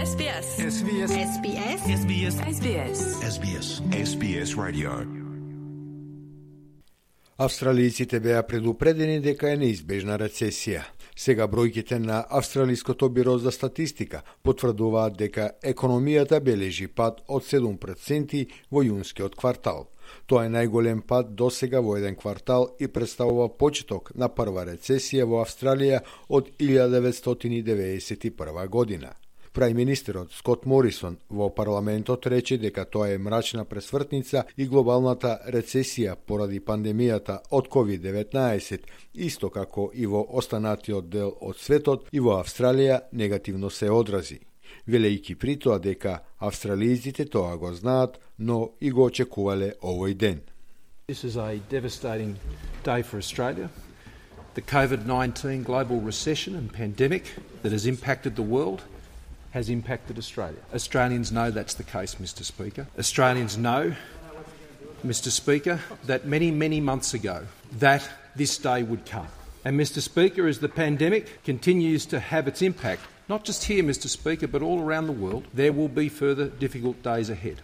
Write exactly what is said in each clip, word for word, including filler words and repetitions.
S B S. S B S. S B S. S B S. S B S. S B S. S B S Radio. Австралијците беа предупредени дека е неизбежна рецесија. Сега бројките на Австралиското биро за статистика потврдуваат дека економијата бележи пад од седум проценти во јунскиот квартал. Тоа е најголем пад досега во еден квартал и представува почеток на прва рецесија во Австралија од илјада деветстотини деветдесет и прва година. Прајминистерот Скот Морисон во парламентот рече дека тоа е мрачна пресвртница и глобалната рецесија поради пандемијата од ковид деветнаесет, исто како и во останатиот дел од светот и во Австралија негативно се одрази, велејќи при тоа дека австралијците тоа го знаат, но и го очекувале овој ден. This is a devastating day for Australia. The COVID nineteen global recession and pandemic that has impacted the world has impacted Australia. Australians know that's the case, Mister Speaker. Australians know, Mister Speaker, that many, many months ago that this day would come. And Mister Speaker, as the pandemic continues to have its impact, not just here, Mister Speaker, but all around the world, there will be further difficult days ahead.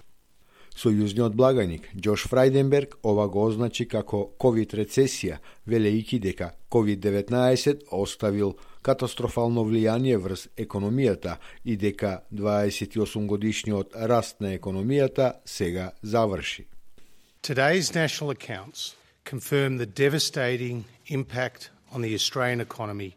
Сојузниот благаник Џош Фрајденберг ова го означи како ковид рецесија, велејќи дека ковид деветнаесет оставил катастрофално влијание врз економијата и дека дваесет и осум годишниот раст на економијата сега заврши. Today's national accounts confirm the devastating impact on the Australian economy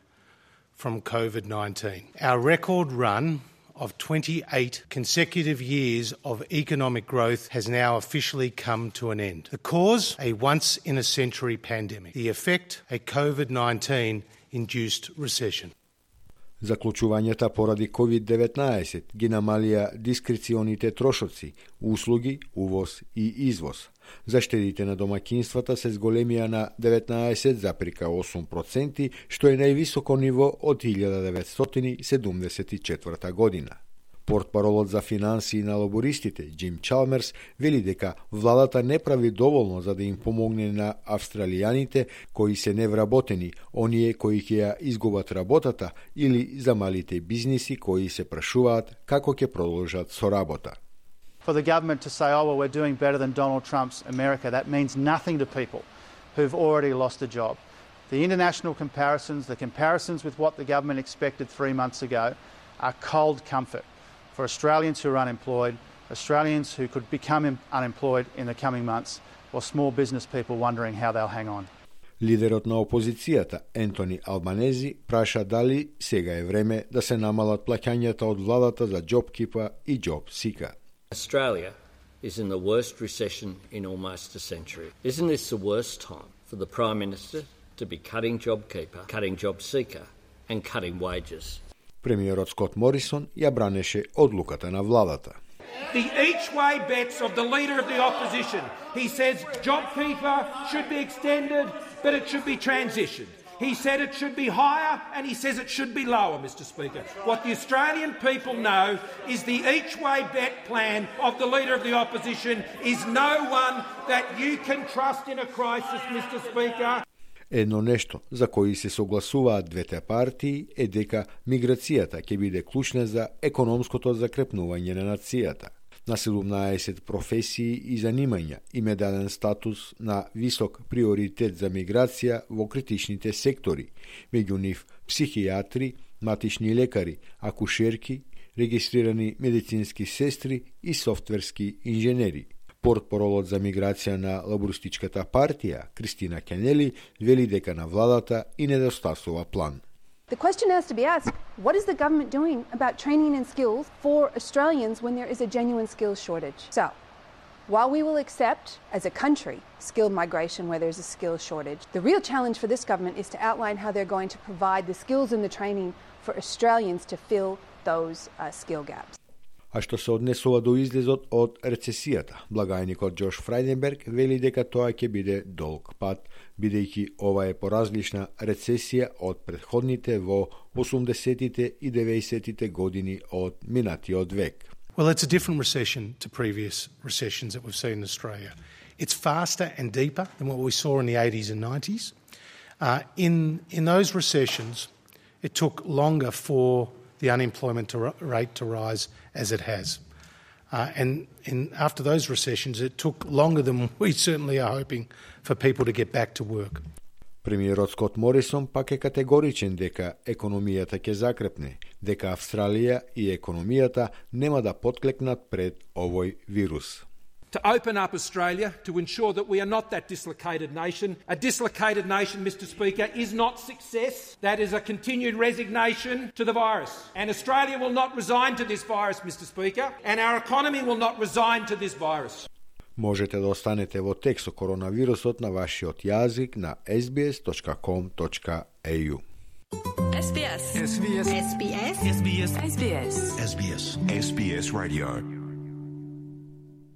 from COVID nineteen. Our record run of twenty-eight consecutive years of economic growth has now officially come to an end. The cause, a once-in-a-century pandemic. The effect, a COVID nineteen induced recession. Заклучувањата поради ковид деветнаесет ги намалија дискреционите трошоци, услуги, увоз и извоз. Заштедите на домаќинствата се зголемија на деветнаесет запирка осум проценти, што е највисоко ниво од илјада деветстотини седумдесет и четврта година. Портпаролот за финансии на лабористите, Џим Чалмерс, вели дека владата не прави доволно за да им помогне на австралијаните кои се невработени, оние кои ќе ја изгубат работата или за малите бизниси кои се прашуваат како ќе продолжат со работа. For the government to say, oh, well, we're doing better than Donald Trump's America, that means nothing to people who've already lost a job. The international comparisons, the comparisons with what the government expected three months ago are cold comfort for Australians who are unemployed, Australians who could become unemployed in the coming months, or small business people wondering how they'll hang on. Лидерот на опозицијата, Ентони Албанези, праша дали сега е време да се намалат плаќањата од владата за JobKeeper и JobSeeker. Australia is in the worst recession in almost a century. Isn't this the worst time for the Prime Minister to be cutting JobKeeper, cutting JobSeeker and cutting wages? Премиерот Скот Морисон ја бранеше одлуката на владата. The each-way bets of the Leader of the Opposition. He says JobKeeper should be extended, but it should be transitioned. He said it should be higher, and he says it should be lower, Mister Speaker. What the Australian people know is the each-way bet plan of the Leader of the Opposition is no one that you can trust in a crisis, Mister Speaker. Едно нешто за кои се согласуваат двете партии е дека миграцијата ќе биде клучна за економското закрепнување на нацијата. На седумнаесет професии и занимања им е даден статус на висок приоритет за миграција во критичните сектори, меѓу нив психијатри, матични лекари, акушерки, регистрирани медицински сестри и софтверски инженери. Портпаролот за миграција на лабористичката партија, Кристина Кенели, вели дека на владата и недостасува план. The question has to be asked, what is the government doing about training and skills for Australians when there is a genuine skills shortage? So, while we will accept, as a country, skilled migration where there's a skills shortage, the real challenge for this government is to outline how they're going to provide the skills and the training for Australians to fill those uh, skill gaps. А што се однесува до излезот од рецесијата, благајникот Џош Фрајденберг вели дека тоа ќе биде долг пат, бидејќи ова е поразлична рецесија од претходните во осумдесетите и деветдесетите години од минатиот век. Well, it's a different recession to previous recessions that we've seen in Australia. It's faster and deeper than what we saw in the eighties and nineties. Uh, in, in those recessions, it took longer for the unemployment to, rate to rise as it has. Uh, and in, after those recessions, it took longer than we certainly are hoping for people to get back to work. Премиерот Скот Морисон пак е категоричен дека економијата ќе закрепне, дека Австралија и економијата нема да потклекнат пред овој вирус. To open up Australia, to ensure that we are not that dislocated nation. A dislocated nation, Mister Speaker, is not success. That is a continued resignation to the virus. And Australia will not resign to this virus, Mister Speaker, and our economy will not resign to this virus. Можете да останете во текст со коронавирусот на вашиот јазик на ес би ес точка ком точка ей ю. ес би ес. ес би ес. ес би ес. ес би ес. ес би ес. ес би ес Radio.